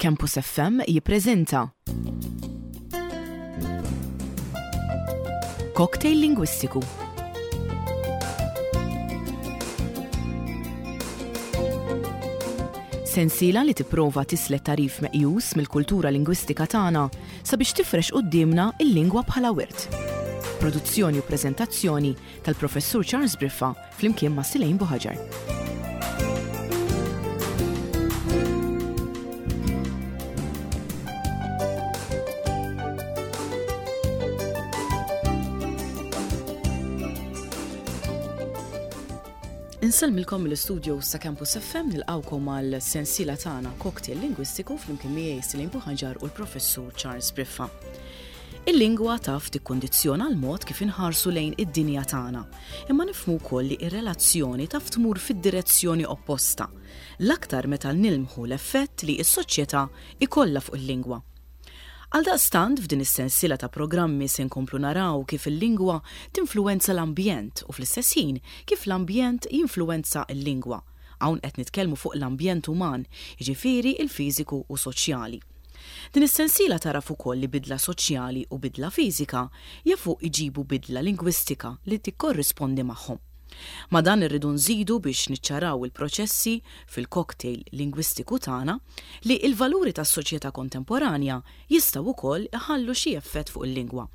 Campus FM jippreżenta Cocktail Lingwistiku. Sensiela li tipprova tislet tagħrif meqjus mill-kultura lingwistika tagħna sabiex tifrex quddiemna l-lingwa bħala wirt. Produzzjoni u preżentazzjoni tal-Professur Charles Briffa flimkien ma' Silejn Buħaġar. Insellmilkom mill-istudio sa' Campus FM nilqawkom għal sensiela tagħna Cocktail Lingwistiku flimkien miegħi Silejn Buħaġar u l-Professur Charles Briffa. Il-lingwa taf tikkundizzjona l-mod kif inħarsu lejn id-dinja tagħna. Imma nifhmu wkoll li r-relazzjoni taf tmur fid-direzzjoni opposta, l-aktar meta nilmħu l-effett li s-soċjetà jkollha fuq il-lingwa. Għaldaqstant f'din is-sensiela ta' programmi se nkomplu naraw kif il-lingwa tinfluwenza l-ambjent u fl-istess ħin kif l-ambjent jinfluwenza l-lingwa. Hawn qed nitkellmu fuq l-ambjent uman, jiġifieri l-fiżiku u soċjali. Din is-sensiela tagħraf ukoll li bidla soċjali u bidla fiżika jafu jġibu bidla lingwistika li tikkorrispondi magħhom. Ma' dan irridu nżidu biex niċċaraw il-proċessi fil-cocktail lingwistiku tagħna li l-valuri tas-soċjetà kontemporanja jistgħu wkoll iħallu xi effett fuq il-lingwa.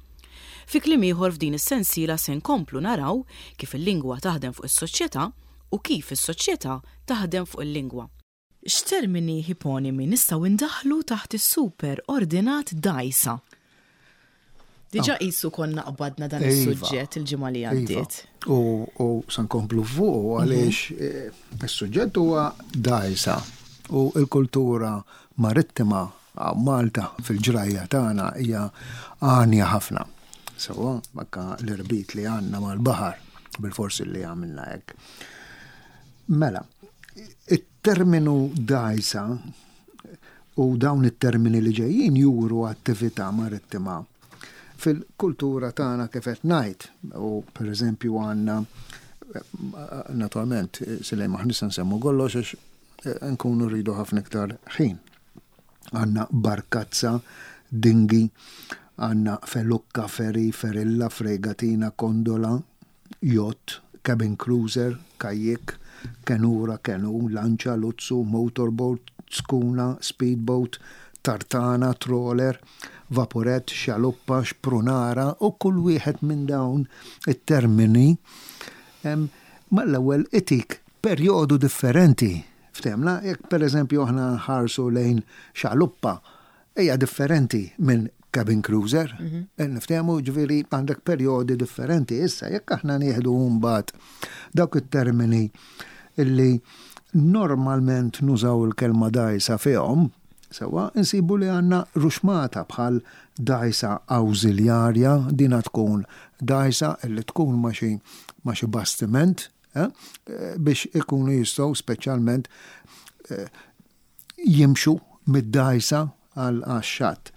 Fi kliem ieħor f'din is-sensiela se nkomplu naraw kif il-lingwa taħdem fuq is-soċjetà u kif is-soċjetà taħdem fuq il-lingwa. X'termini ħiponimi nistgħu ndaħħlu taħt is-super ordinat dgħajsa? Diġà qisu konna qbadna dan iva. is-suġġett il-ġimgħa li iva. għaddiet. U se nkomplu fuq mhm. għaliex eh, is-suġġett huwa dgħajsa u l-kultura marittima Malta fil-ġrajja tagħna hija għanja ħafna. Sewwa, anke l-irbit li għandna mal-baħar bil-forsi li għamilna hekk. Mela, it-terminu dgħajsa u dawn it-termini li ġejjin juru attività marittima fil-kultura tagħna kif qed ngħid u pereżempju għandna naturalment silej maħni se nsemmu kollox għax eh, nkunu rridu ħafna iktar ħin. Għandna barkazza, dingi, għandna felukka, ferry, ferilla, fregatina, kondola, yacht, cabin cruiser, kajjik, kenura, kenu, lanċa, luzzu, motorboat, skuna, speedboat, tartana, trawler, vaporett, xaluppa, xprunara u kull wieħed minn dawn it-termini mal-ewwel itik perjodu differenti. Ftehmna, jekk pereżempju aħna nħarsu lejn xaluppa, hija differenti minn cabin cruiser. Mhm. Eh, niftehmu ġifieri għandek perjodi differenti. Issa jekk aħna nieħdu mbagħad dawk it-termini illi normalment nużaw il-kelma dajsa fihom, sewa insibu li għandna ruxmata bħal dajsa awżiljarja, dina tkun dajsa illi tkun ma' xi bastiment eh, biex ikunu jistgħu speċjalment eh, jimxu mid-dgħajsa għax-xatt.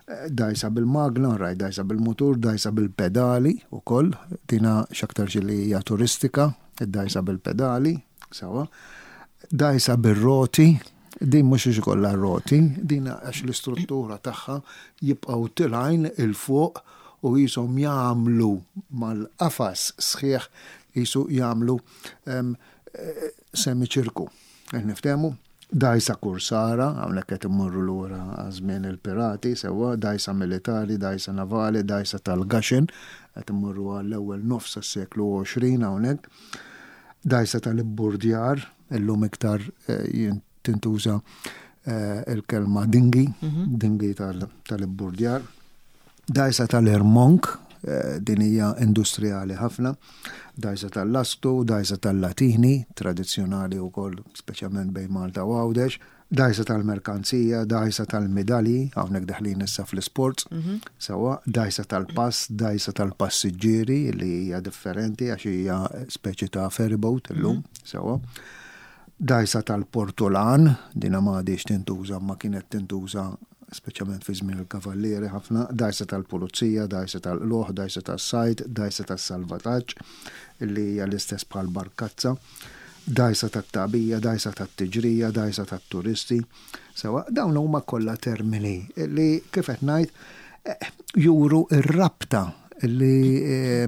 Dgħajsa bil-magna, rajt dgħajsa bil-mutur, dgħajsa bil-pedali wkoll, dina x'aktarx li hija turistika, id-dgħajsa bil-pedali, sewwa. Dgħajsa bir-roti, din mhux għax ikollha r-roti, din għax l-istruttura tagħha jibqgħu tilgħin 'il fuq u qishom jagħmlu mal-qafas sħiħ qisu jagħmlu semiċirku. Qed niftehmu? Dgħajsa kursara, hawnhekk qed immorru lura għaż-żmien il-pirati, sewwa, dgħajsa militari, dgħajsa navali, dgħajsa tal-Gaxen, qed immorru għall-ewwel nofs tas-seklu 20 hawnhekk. Dgħajsa tal-ibburdjar, illum iktar eh, tintuża eh, il-kelma dingi, mhm. dingi tal-ibburdjar. Dgħajsa tal-Irmonk, din hija industrijali ħafna, dgħajsa tal-lastu, dgħajsa tal-latini, tradizzjonali wkoll speċjalment bejn Malta u Għawdex, dgħajsa tal-merkanzija, dgħajsa tal-midalji, hawnhekk deħlin issa fl-isports, mhm. sewwa, dgħajsa tal-pass, dgħajsa tal-passiġġieri li hija differenti għax hija speċi ta' ferryboat illum, mhm. sewwa. Dgħajsa tal-portulan, dina ma għadhiex tintuża ma kienet tintuża speċjalment fi żmien il-kavallieri ħafna, dgħajsa tal-pulizija, dgħajsa tal-qlugħ, dgħajsa tas-sajd, dgħajsa tas-salvataġġ, li hija l-istess bħal barkazza, Dgħajsa tat-tagħbija, dgħajsa tat-tiġrija, dgħajsa tat-turisti. Sewwa, dawn huma kollha termini li kif qed ngħid juru r-rabta li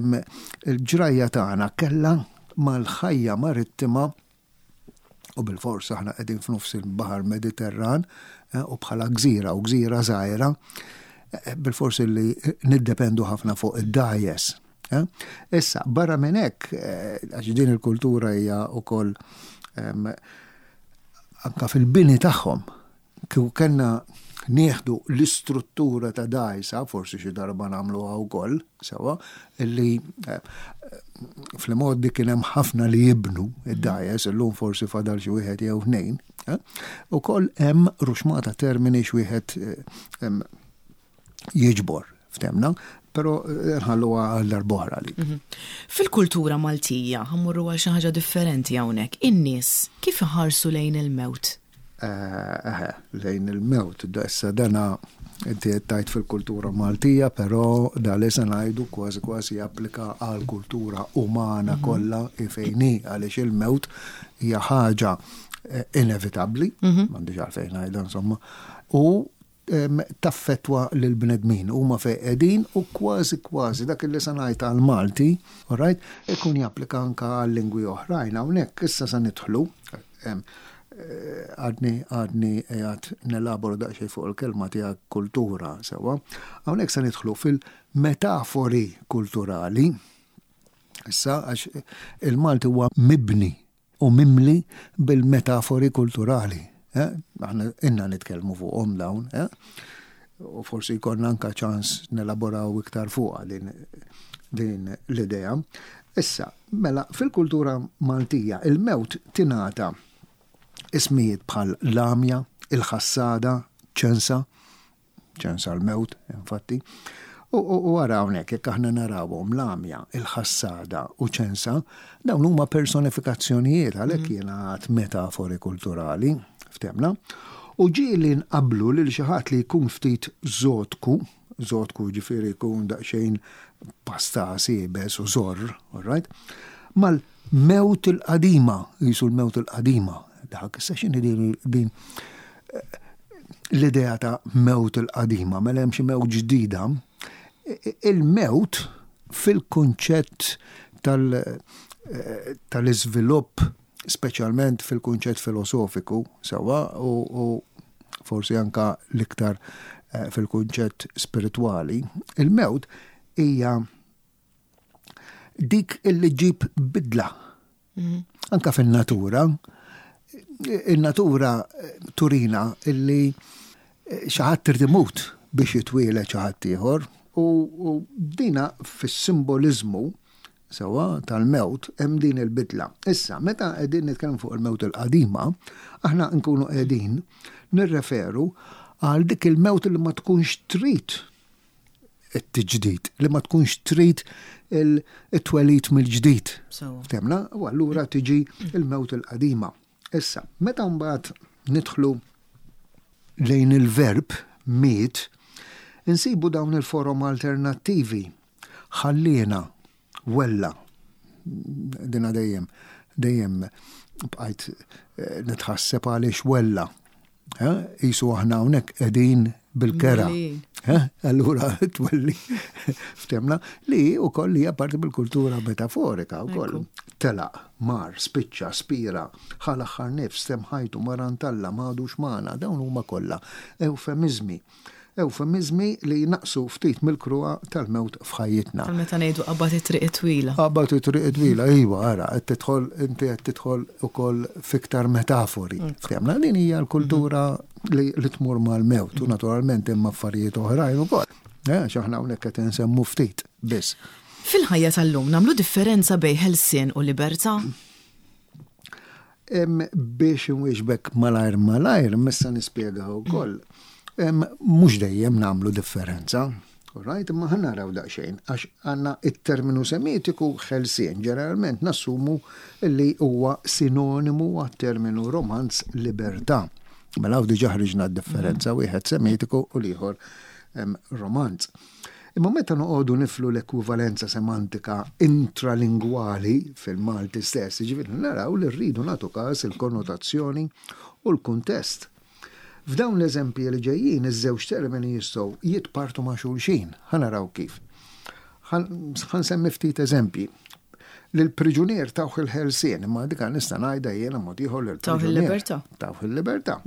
l-ġrajja tagħna kellha mal-ħajja marittima u bilfors aħna qegħdin f'nofs il-Baħar Mediterran u bħala gżira u gżira żgħira bilfors li niddependu ħafna fuq id-dgħajjes. Issa, barra minn hekk, għax din il-kultura hija wkoll anka fil-bini tagħhom, kieku kellna nieħdu l-istruttura ta' dgħajsa, forsi xi darba nagħmluha wkoll, sewwa, illi fl-imgħoddi kien hemm ħafna li jibnu id-dgħajjes, illum forsi fadal xi wieħed jew tnejn, ukoll hemm ruxmata termini x'wieħed jiġbor ftemna, pero eh, nħalluha għal darb'oħra li. Mhm. Fil-kultura Maltija, ħammurru għal xi ħaġa differenti hawnhekk, in-nies kif iħarsu lejn il-mewt? Eh, eh, lejn il-mewt, issa dana inti qed tgħid fil-kultura Maltija, però da li se ngħidu kważi kważi japplika għal kultura umana mhm. kollha fejni għaliex il-mewt hija ħaġa inevitabbli, mhm. m'għandix għalfejn ngħidha insomma, u taffettwa lill-bnedmin, huma fejn qegħdin u kważi kważi dak li se ngħid għall-Malti, all right, ikun japplika anke għal lingwi oħrajn. Hawnhekk issa se nidħlu, għadni għadni qiegħed nelabora daqsxejn fuq il-kelma tiegħek kultura sewwa. Hawnhekk se nidħlu fil-metafori kulturali. Issa għax il-Malti huwa mibni u mimli bil-metafori kulturali. Eh? Aħna inna nitkellmu fuqhom dawn, eh? u forsi jkollna anka ċans nelaboraw iktar fuqha din, din l-idea. Issa, mela, fil-kultura Maltija, il-mewt tingħata ismijiet bħal l-għamja, il-ħassada, ċensa, ċens għall-mewt, infatti. U ara hawnhekk jekk aħna narawhom l-għamja, il-ħassada u ċensa, dawn huma personifikazzjonijiet għalhekk mm. jiena għad metafori kulturali, ftemna. U ġieli nqablu lil xi ħadd li jkun ftit zotku, zotku ġifieri jkun daqsxejn pasta siebes u zorr, all right? Mal-mewt il-qadima, jisu l-mewt il-qadima. Dak issa x'inhi din, din l-idea ta' mewt il-qadima, mela hemm xi mewt ġdida, il-mewt fil-kunċett tal-iżvilupp, speċjalment fil-kunċett filosofiku, sewwa, u forsi anka l-iktar eh, fil-kunċett spiritwali, il-mewt hija dik illi ġib bidla. Mhm. Anka fin-natura, in-natura eh, turina illi eh, xi ħadd trid imut biex jitwieled xi ħadd ieħor u dina fis-simboliżmu sewwa tal-mewt hemm din il-bidla. Issa, meta qegħdin nitkellmu fuq il-mewt il-qadima, aħna nkunu qegħdin nirreferu għal dik il-mewt li ma tkunx trid it-tiġdid, li ma tkunx trid it-twelid mill-ġdid. Temna, u allura tiġi il-mewt il-qadima. Issa, meta mbagħad nidħlu lejn il-verb miet, insibu dawn il-forom alternattivi. Ħalliena, wella, dina dejjem, dejjem bqajt eh, nitħasseb għaliex wella. Jisu aħna hawnhekk qegħdin bil-kera. Allura twelli ftemna li wkoll hija parti mill-kultura metaforika wkoll. Telaq, mar, spiċċa, spira, ħa l-aħħar nifs, temm ħajtu, mar għand Alla, m'għadux magħna, dawn huma kollha ewfemiżmi Ewfemiżmi li jnaqqsu ftit mill-kruha tal-mewt f'ħajjitna. Bħal meta ngħidu qabad it-triq it-twila. Qabad it-triq it-twila, iva, ara, qed tidħol inti qed tidħol ukoll f'iktar metafori. Ftemna din hija l-kultura li, li tmur mal-mewt u naturalment hemm affarijiet oħrajn ukoll. Eh, għax aħna hawnhekk qed insemmu ftit biss. Fil-ħajja tal-lum nagħmlu differenza bejn ħelsien u libertà? Biex inwieġbek malajr malajr, missa nispjega wkoll. Mhux dejjem nagħmlu differenza. Right, imma ħa naraw daqsxejn, għax għandna it-terminu semitiku ħelsien, ġeneralment nassumu li huwa sinonimu għat-terminu romanz libertà. Mela hawn diġà ħriġna d-differenza, wieħed semitiku u l-ieħor romanz. Imma meta noqogħdu niflu l-ekwivalenza semantika intralingwali fil-Malti stess, jiġifieri naraw li rridu nagħtu każ il-konnotazzjoni u l-kuntest. F'dawn l-eżempji li ġejjin iż-żewġ termini jistgħu jitpartu ma' xulxin. Ħa naraw kif. Ħa nsemmi ftit eżempji. Lill-priġunier tawh il-ħelsien, imma dika nista' ngħidha jiena mod ieħor lill-priġunier. Tawh il-libertà. Tawh il-libertà.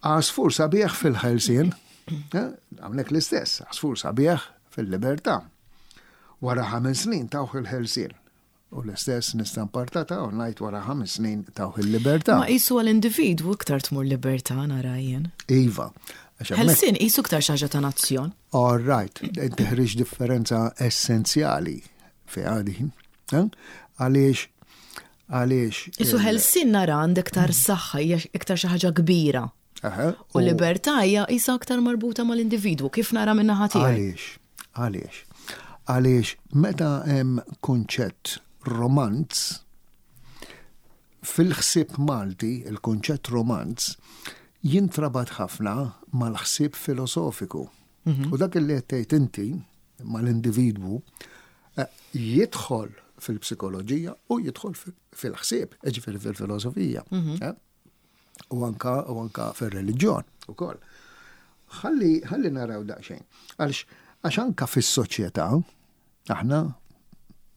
Għasfur sabiħ fil-ħelsien. Eh, hawnhekk l-istess, għasfur sabiħ fil-libertà. Wara ħames snin tawh il-ħelsien. U l-istess nista' npartata u ngħid wara ħames snin tawh il-libertà. Ma qisu għall-individwu iktar tmur libertà nara jien. Iva. Ħelsien qisu iktar xi ħaġa ta' nazzjon. All right, inti ħriġ differenza essenzjali fiha din. Eh? Għaliex għaliex. Isu ħelsien nara għandek iktar saħħa, hija iktar xi ħaġa kbira. U libertà hija isa aktar marbuta mal-individwu, kif nara minn naħa tiegħi. Għaliex? Għaliex? Għaliex meta hemm kunċett romanz, fil-ħsieb Malti, il-kunċett romanz jintrabat ħafna mal-ħsieb filosofiku. U dak li qed tgħid inti mal-individwu eh, jidħol fil-psikoloġija u jidħol fil-ħsieb, ġifieri fil-filosofija. Eh? U anka u anka fir-reliġjon ukoll. Ħalli ħalli naraw daqsxejn. Għalx għax anka fis-soċjetà aħna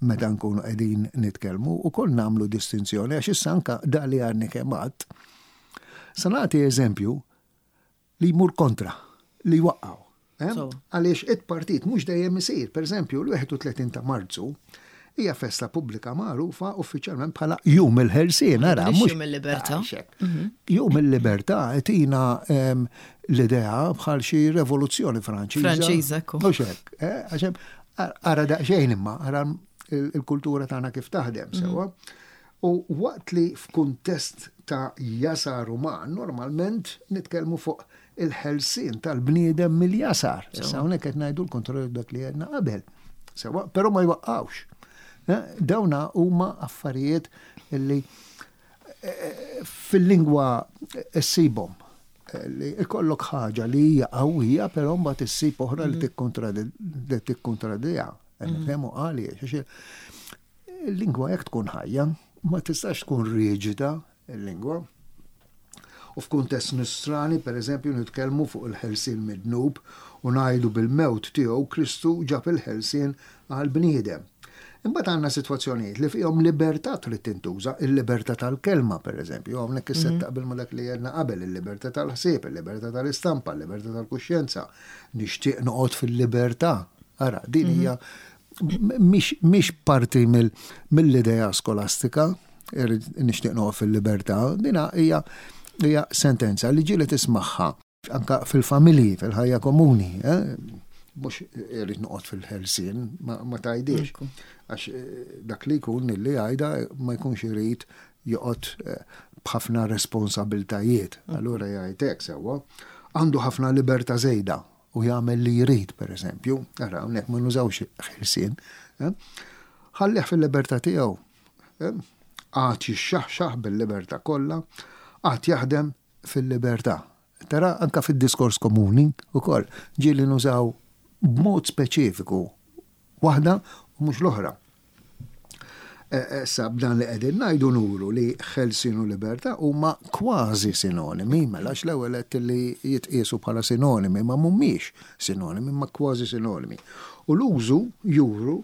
meta nkunu qegħdin nitkellmu ukoll nagħmlu distinzjoni għax issa anka da li għadni kemm għadt. Sa nagħti eżempju li jmur kontra, li jwaqqgħu. Eh? Għaliex it-partit mhux dejjem isir. Per eżempju, l-31 ta' Marzu hija festa pubblika magħrufa uffiċjalment bħala Jum il-Ħelsien, ara mhux Jum il-Libertà. Mhm. Jum il-Libertà tina ehm, l-idea bħal xi rivoluzzjoni Franċiża. Franċiża, ekku. Mhux hekk, eh, ara daqsxejn imma, ara il-kultura tagħna kif taħdem mhm. sewwa. U waqt li f'kuntest ta' jasar uman, normalment nitkellmu fuq il-ħelsien tal-bniedem mill-jasar. Issa hawnhekk qed ngħidu l-kontrarju dak li għedna qabel. Sewa, però ma jwaqqgħux. Eh, dawna huma affarijiet li eh, fil-lingwa ssibhom li ikollok ħaġa li hija qawwija, però mbagħad issib oħra li mhm. tikkontradiha. Mhm. Nifhemu għaliex. Il-lingwa jekk tkun ħajja, ma tistax tkun riġida il-lingwa. U f'kuntest Nisrani, per eżempju, nitkellmu fuq il-ħelsien mid-dnub u ngħidu bil-mewt tiegħu Kristu ġab il-ħelsien għall-bniedem. Imbagħad għandna sitwazzjonijiet li fihom libertà trid tintuża, il-libertà tal-kelma, per eżempju, hawnhekk issa mhm. taqbel ma dak li għedna qabel, il-libertà tal-ħsieb, il-libertà tal-istampa, il-libertà tal-kuxjenza. Nixtieq noqgħod fil-libertà. Ara, din mhm. hija mhix parti mill-idea skolastika, nixtieq noqgħod fil-libertà, dina hija hija sentenza li ġieli tismagħha anka fil-familji, fil-ħajja komuni. Eh? Mhux irrid noqgħod fil-ħelsien, ma tgħidix. Għax eh, dak li jkun li jgħidha ma jkunx irid joqgħod eh, b'ħafna responsabiltajiet. Allura jgħid hekk sewwa. Għandu ħafna libertà żejda u jagħmel li jrid, per eżempju, ara hawnhekk ma nużawx ħelsien, eh? ħallih fil-libertà tiegħu. Eh? Għad jixxaħxaħ bil-libertà kollha, għad jaħdem fil-libertà. Tara anka fid-diskors komuni wkoll ġieli nużaw b'mod speċifiku Waħda u mhux l-oħra. Issa b'dan li qegħdin ngħidu nuru li ħelsien u libertà huma kważi sinonimi, mela għax l-ewwel għedt li jitqiesu bħala sinonimi, ma mhumiex sinonimi, imma kważi sinonimi. U l-użu juru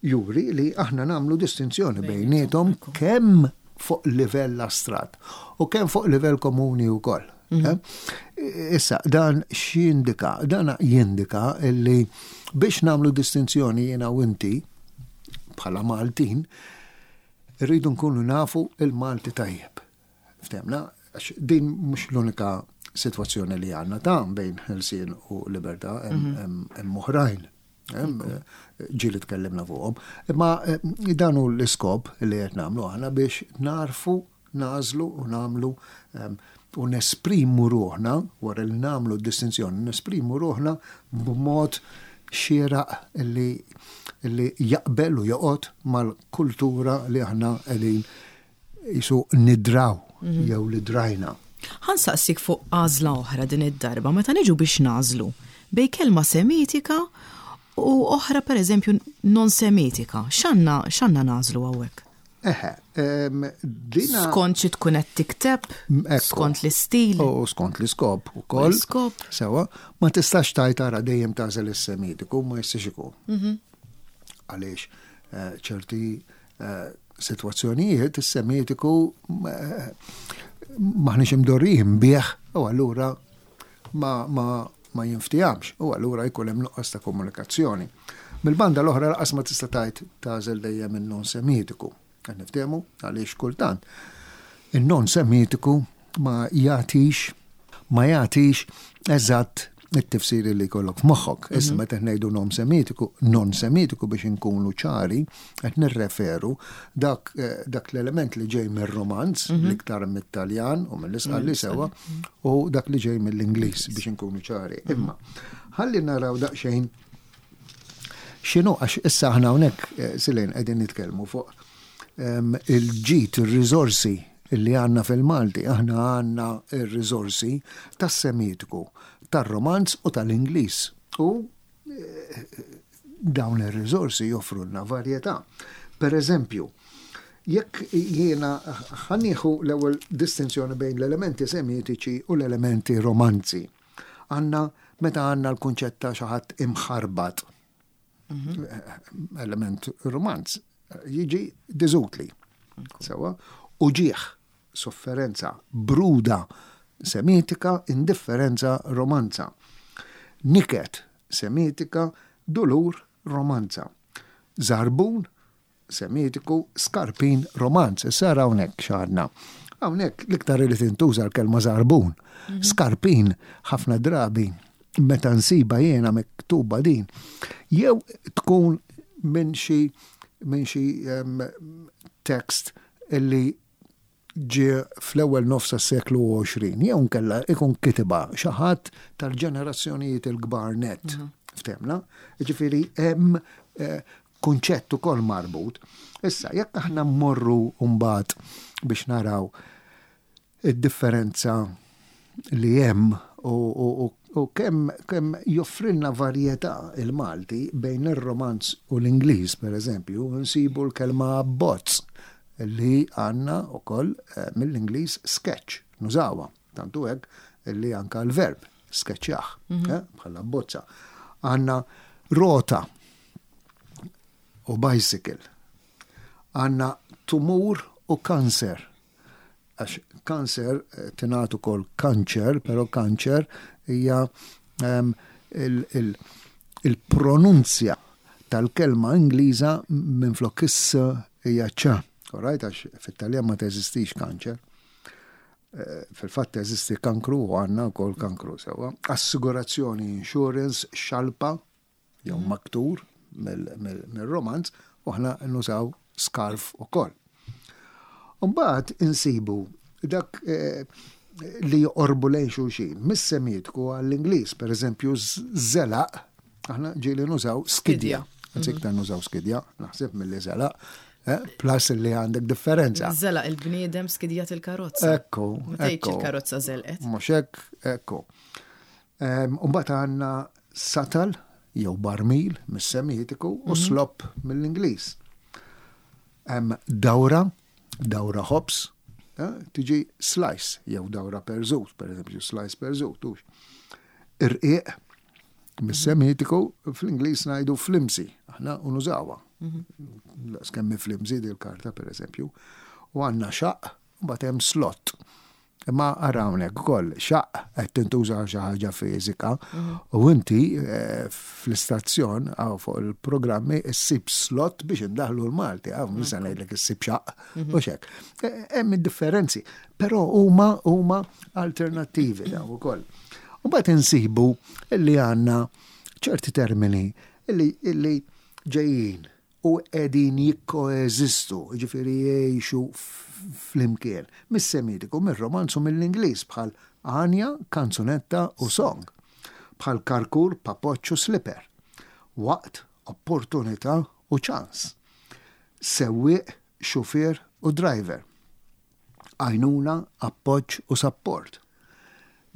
juri li aħna nagħmlu distinzjoni bejniethom kemm fuq livell astratt u kemm fuq livell komuni wkoll. Mhm. Eh? Issa, dan x'jindika? Dan jindika illi biex nagħmlu distinzjoni jiena u inti bħala Maltin, rridu nkunu nafu il-Malti tajjeb. Ftemna, għax din mhux l-unika sitwazzjoni li għandna ta' bejn ħelsien u libertà hemm mhm. oħrajn. Ġieli tkellimna fuqhom. Imma eh, dan hu l-iskop li qed nagħmlu aħna biex narfu nagħżlu u nagħmlu ehm, u nesprimu ruħna, wara li nagħmlu d-distinzjoni, nesprimu ruħna b'mod xieraq li, li jaqbel u joqgħod mal-kultura li aħna qegħdin jisu nidraw mhm. jew li drajna. Ħa nsaqsik fuq għażla oħra din id-darba meta niġu biex nagħżlu bejn kelma semitika u oħra pereżempju non semitika. X'għandna x'għandna nagħżlu hawnhekk? Eħe, dina. Skont xi tkun qed tikteb, skont l-istil. U skont l-iskop ukoll. L-iskop. Sewa, ma tistax tajt ara dejjem tagħżel is-semitiku, ma jistax ikun. Għaliex ċerti sitwazzjonijiet is-semitiku maħniex imdorrijin bih u allura ma, ma, ma jinftijamx u allura jkun hemm nuqqas ta' komunikazzjoni. Mill-banda l-oħra laqas ma tista' tgħid tagħżel dejjem in-non semitiku. Qed niftehmu għaliex kultant in-non semitiku ma jagħtix ma jagħtix eżatt it-tifsir li jkollok f'moħħok. Issa meta ngħidu non semitiku, non semitiku biex inkunu ċari, qed nirreferu dak, dak l-element li ġej mir-Romanz, l-iktar mit-Taljan u mill-Isqalli sewa, u dak li ġej mill-Ingliż biex inkunu ċari. Imma ħalli naraw daqsxejn x'inhu għax issa aħna hawnhekk Silene qegħdin nitkellmu fuq il-ġid, ir-riżorsi li għandna fil-Malti. Aħna għandna r-riżorsi tas-Semitiku, tar-Romanz u tal-Ingliż. U dawn ir-riżorsi joffrulna varjetà. Per eżempju, jekk jiena ħa nieħu l-ewwel distinzjoni bejn l-elementi semitiċi u l-elementi romanzi. Għandna meta għandna l-kunċett ta' xi ħadd imħarbat, element romanz, jiġi diżutli. Sewa, uġieħ, sofferenza, bruda, semitika, indifferenza, romanza. Niket, semitika, dulur, romanza. Zarbun, Semitiku, skarpin, romanz. Issa ara hawnhekk x'għandna. Hawnhekk l-iktar li tintuża l-kelma żarbun. Skarpin ħafna drabi meta nsiba jiena miktuba din, jew tkun minn xi minn xi tekst illi ġie fl-ewwel nofs tas-seklu 20, jew inkella ikun kitibha xi ħadd tal-ġenerazzjonijiet il-kbar nett. Ftehmna? Jiġifieri hemm kunċett ukoll marbut. Issa, jekk aħna mmorru mbagħad biex naraw id-differenza li hemm u kemm kemm joffrilna varjetà il-Malti bejn ir-Romanz u l-Ingliż, pereżempju, nsibu l-kelma abbozz li għandna wkoll mill-Ingliż sketch, nużawha. Tant hu hekk li anke l-verb skeċċjah, bħala abbozza. Għandna rota u bicycle. Għandna tumur u kanser. Għax kanser tingħad ukoll kanċer, però kanċer hija il-pronunzja tal-kelma Ingliża minflok is hija ċ. Alright, għax fit-Taljan ma teżistix kanċer. Fil-fatt teżisti kankru u għandna wkoll kankru sewwa. Assigurazzjoni, insurance, xalpa jew maktur mill-Romanz u aħna nużaw scarf ukoll. Mbagħad insibu dak li joqorbu lejn xulxin, mis-Semitiku għall-Ingliż, pereżempju żelaq, aħna ġieli nużaw skidja. Anzi iktar nużaw skidja, naħseb milli żelaq. Plus li għandek differenza. Żelaq il-bniedem skidjat il-karozza. Ekku. Ma tgħidx il-karozza żelqet. Mhux hekk, ekku. Mbagħad għandna satal jew barmil mis-Semitiku u slop mill-Ingliż. Hemm dawra, dawra ħobż, tiġi slice jew dawra perżut, pereżempju slice perżut, hux. Irqiq mis-Semitiku fl-Ingliż ngħidu flimsy, aħna u nużawha. Laqs kemm flimsy dil-karta pereżempju. U għandna xaqq, u mbagħad hemm slot. Imma ara hawnhekk ukoll xaqq qed tintuża għal xi ħaġa fiżika u inti fl-istazzjon hawn fuq il-programmi issib slot biex indaħlu l-Malti, hawn mhux se ngħidlek issib xaqq u x'hekk. Hemm id-differenzi, però huma huma alternattivi dawn ukoll. U mbagħad insibu li għandna ċerti termini li ġejjin u qegħdin jikkoeżistu, jiġifieri jgħixu flimkien, mis-Semitiku, mir-Romanz u mill-Ingliż bħal għanja, kanzunetta u song, bħal karkur, papoċċ u slipper, waqt, opportunità u ċans, sewwieq, xufier u driver, għajnuna, appoġġ u sapport.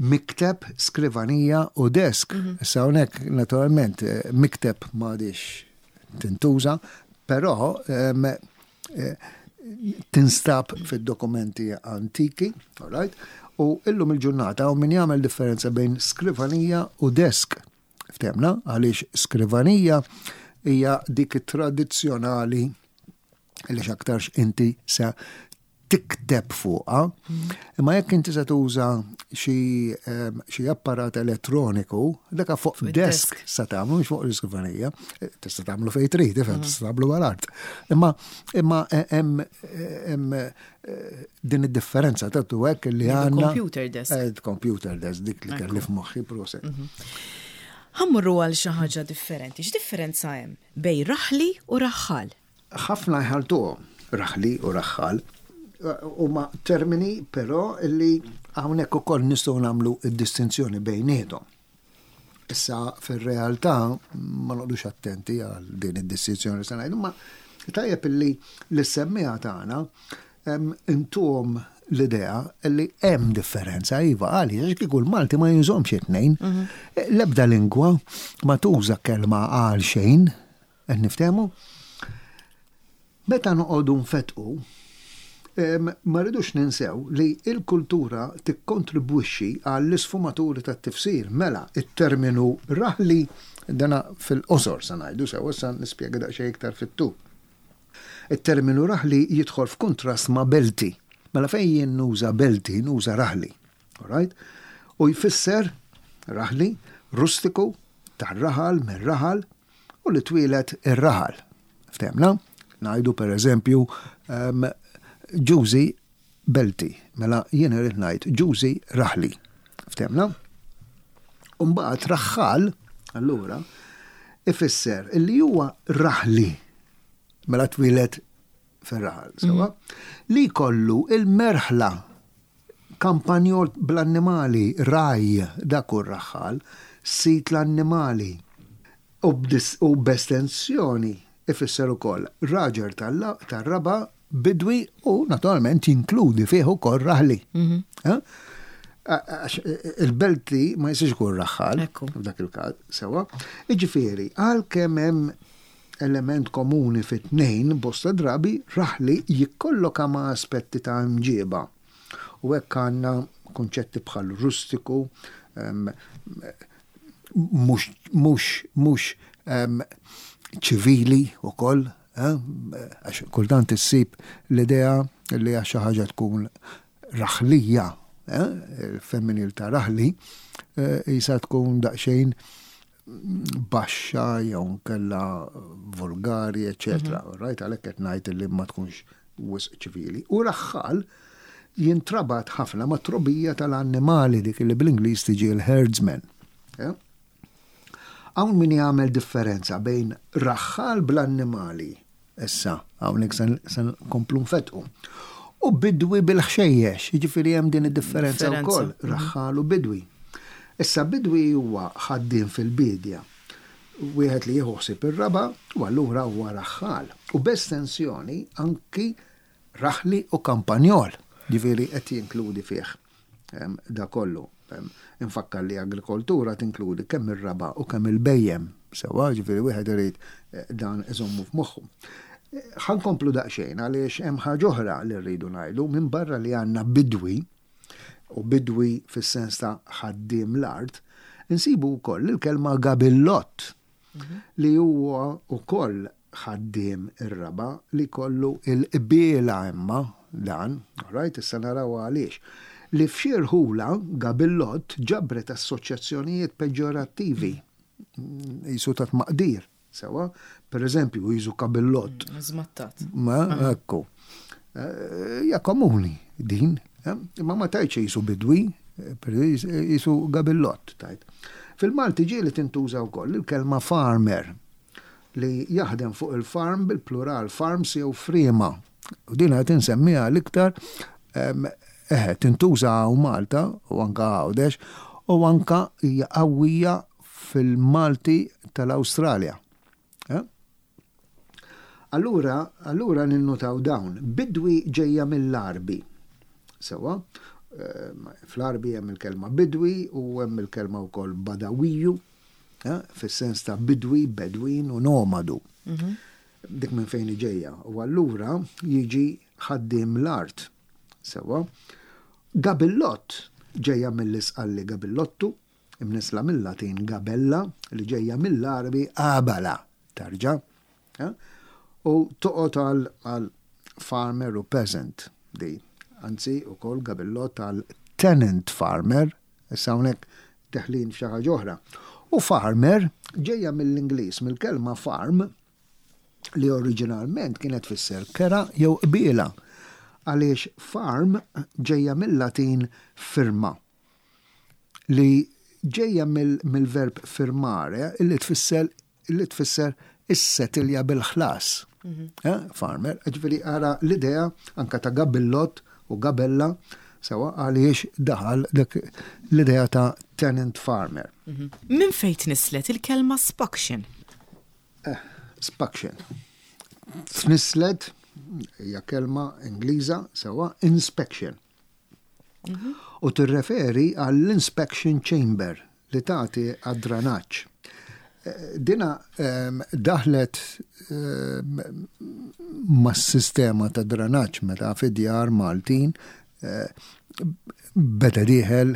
mikteb, skrivanija u desk. Issa hawnhekk naturalment mikteb m'għadix tintuża, però tinstab fid-dokumenti antiki, all right? U illum il-ġurnata hawn min jagħmel differenza bejn skrivanija u desk. Ftemna, għaliex skrivanija hija dik it-tradizzjonali li x'aktarx inti se tikteb fuqha. Imma jekk inti se tuża xi apparat elettroniku, dak fuq desk se tagħmlu mhux fuq l-iskrivanija. Tista' tagħmlu fejn trid, ifhem, tista' tagħmlu mal-art. Imma imma hemm din id-differenza ta' tu hekk li għandna. Computer desk. Computer desk dik li kelli f'moħħi proset. Ħammurru għal xi ħaġa differenti. X'differenza hemm bejn raħli u raħħal? Ħafna jħaltuhom, raħli u raħħal. Huma termini però li hawnhekk ukoll nistgħu nagħmlu d-distinzjoni bejniethom. Issa fir-realtà ma noqgħodux attenti għal din id-distinzjoni li se ngħidu, ma tajjeb illi l-semmiegħa tagħna intuhom l-idea li hemm differenza, iva, għaliex għax kieku l-Malti ma jużhomx it-tnejn. L-ebda lingwa ma tuża kelma għal xejn, Qed niftehmu? Meta noqogħdu nfettqu, ma rridux ninsew li l-kultura tikkontribwixxi għall-isfumaturi tat-tifsir. Mela, it-terminu raħli, dana fil-qosor se ngħidu sew, issa nispjega daqsxejn iktar fit-tul. It-terminu raħli jidħol f'kuntrast ma' belti. Mela fejn jien nuża belti, nuża raħli. Alright? U jfisser raħli, rustiku, tar-raħal, mir-raħal, u li twieled ir-raħal. Ftehmna? Ngħidu per eżempju Ġużi Belti, mela jien irrid ngħid Ġużi Raħli. Ftehmna? U mbagħad raħħal, allura, ifisser li huwa raħli, mela twieled fir-raħal, sewwa, li jkollu il-merħla kampanjol bl-annimali, ragħaj, dak hu r-raħħal, sid l-annimali. U b'estensjoni ifisser ukoll raġel tar-raba', bidwi u naturalment jinkludi fih ukoll raħli. Għax il-belti ma jistax ikun raħħal f'dak il-każ, sewwa. Jiġifieri, għalkemm hemm element komuni fit-tnejn, bosta drabi raħli jikkolloka ma' aspetti ta' imġieba. U hekk għandna kunċetti bħal rustiku, mhux mhux mhux ċivili wkoll, għax kultant issib l-idea li għax xi ħaġa tkun raħlija, il-femminil ta' raħli, qisha tkun daqsxejn baxxa jew nkella vulgari, eċetera. Mhm. Right, għalhekk qed ngħid li ma tkunx wisq ċivili. U raħħal jintrabat ħafna ma' trobija tal-annimali dik li bl-Ingliż tiġi l-herdsman. Hawn min jagħmel differenza bejn raħħal bl-annimali Issa, hawnhekk se nkomplu nfettqu. U bidwi bil-ħxejjex, jiġifieri hemm din id-differenza wkoll, mhm. raħħal u bidwi. Issa bidwi huwa ħaddiem fil-biedja, wieħed li jieħu ħsieb ir-raba' u allura huwa raħħal. U b'estensjoni anki raħli u kampanjol, ġifieri qed jinkludi fih. Da kollu. Infakkar li agrikoltura tinkludi kemm ir-raba' u kemm il-bhejjem. Sewwa, ġifieri wieħed irid eh, dan iżommu f'moħħu. Ħa nkomplu daqsxejn għaliex hemm ħaġa oħra li rridu ngħidu minn barra li għandna bidwi u bidwi fis-sens ta' ħaddiem l-art, insibu wkoll il-kelma gabillott li huwa wkoll ħaddiem ir-raba' li jkollu l-qbiela imma dan, alright, issa naraw għaliex, li f'xi rħula gabillott ġabret assoċjazzjonijiet peġġorattivi, qisu ta' tmaqdir, sewwa, per eżempju, qisu kabillott. Żmattat. Ma, ekku. Hija komuni din, imma ma tgħidx qisu bidwi, qisu gabillott tgħid. Fil-Malti ġieli tintuża wkoll il-kelma farmer, li jaħdem fuq il-farm bil-plural farms jew friema. U din qed insemmiha l-iktar eħe tintuża hawn Malta u anka Għawdex u anka hija qawwija fil-Malti tal-Awstralja. Eh? Allura, allura ninnutaw dawn. Bidwi ġejja mill-Għarbi. Sewwa? Fl-Għarbi hemm il-kelma bidwi u hemm il-kelma wkoll badawiju, fis-sens ta' bidwi, bedwin u nomadu. Dik minn fejn ġejja. U allura jiġi ħaddiem l-art. Sewwa. Gabillott ġejja mill-Isqalli gabillottu, imnissla mil-Latin gabella li ġejja mill-Għarbi abala, tarġa. U toqgħod għal farmer u peasant di. Anzi, ukoll gabillott għal tenant farmer, issa hawnhekk deħlin f'xi ħaġa oħra. U farmer ġejja mill-Ingliż, mill-kelma farm, li oriġinalment kienet tfisser kera jew qbiela, għaliex farm ġejja mill-Latin firma, li ġejja mill-verb firmare li tfisser li tfisser issetilja bil-ħlas. Mhm. Eh, farmer, ġifieri ara l-idea anka ta' gabillot u gabella sewa għaliex daħal dak l-idea ta' tenant farmer. Mhm. Minn fejn tnislet il-kelma spaction? Eh, spaction. Tnislet hija kelma Ingliża sewa inspection. Mhm. U tirreferi għall-inspection chamber li tagħti għad-dranaġġ. Eh, dina ehm, daħlet ehm, mas-sistema ta' dranaġġ meta fid-djar Maltin eh, beda dieħel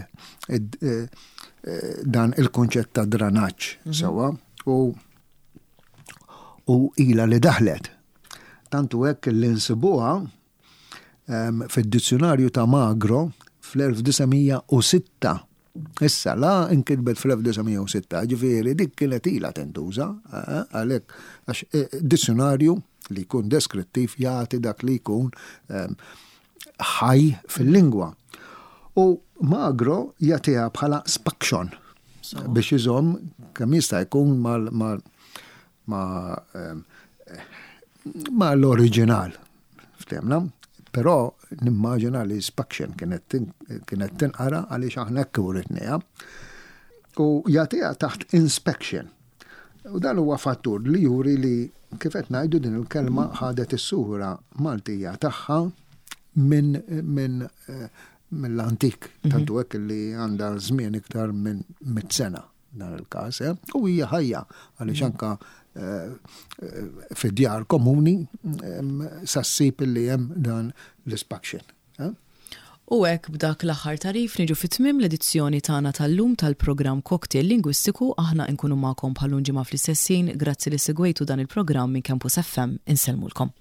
eh, dan il-konċett ta' dranaġġ mhm. sewwa u u ila li daħlet. Tantu hekk li nsibuha fid-dizzjunarju ta' Magro fl-1906. Issa, la inkitbet fl-1906, ġifieri dik kienet ilha tintuża, eh, eh, għalhekk għax eh, dizzjunarju li jkun deskrittiv jagħti dak li jkun ħaj fil-lingwa. U Magro jagħtiha bħala spaction biex iżomm kemm jista' jkun mal ma' ma' l-oriġinal. Ftemna? Però nimmaġina li spaction kienet kienet tinqara għaliex aħna hekk uritniha. U jagħtiha taħt inspection. U dan huwa fattur li juri li kif qed ngħidu din il-kelma ħadet is-sura Maltija tagħha minn min, eh, mill-antik, mhm. tantu hekk li għandha żmien iktar minn mit sena dan il-każ, eh? u hija ħajja għaliex mm. anka eh, eh, fid-djar komuni sa ssib li hemm dan l-ispaction. U hekk b'dak l-aħħar tagħrif niġu fi tmiem l-edizzjoni tagħna tal-lum tal-programm Cocktail Lingwistiku aħna nkunu magħkom bħal ġimgħa fl-istess ħin grazzi li segwejtu dan il-programm minn Campus FM insellmulkom.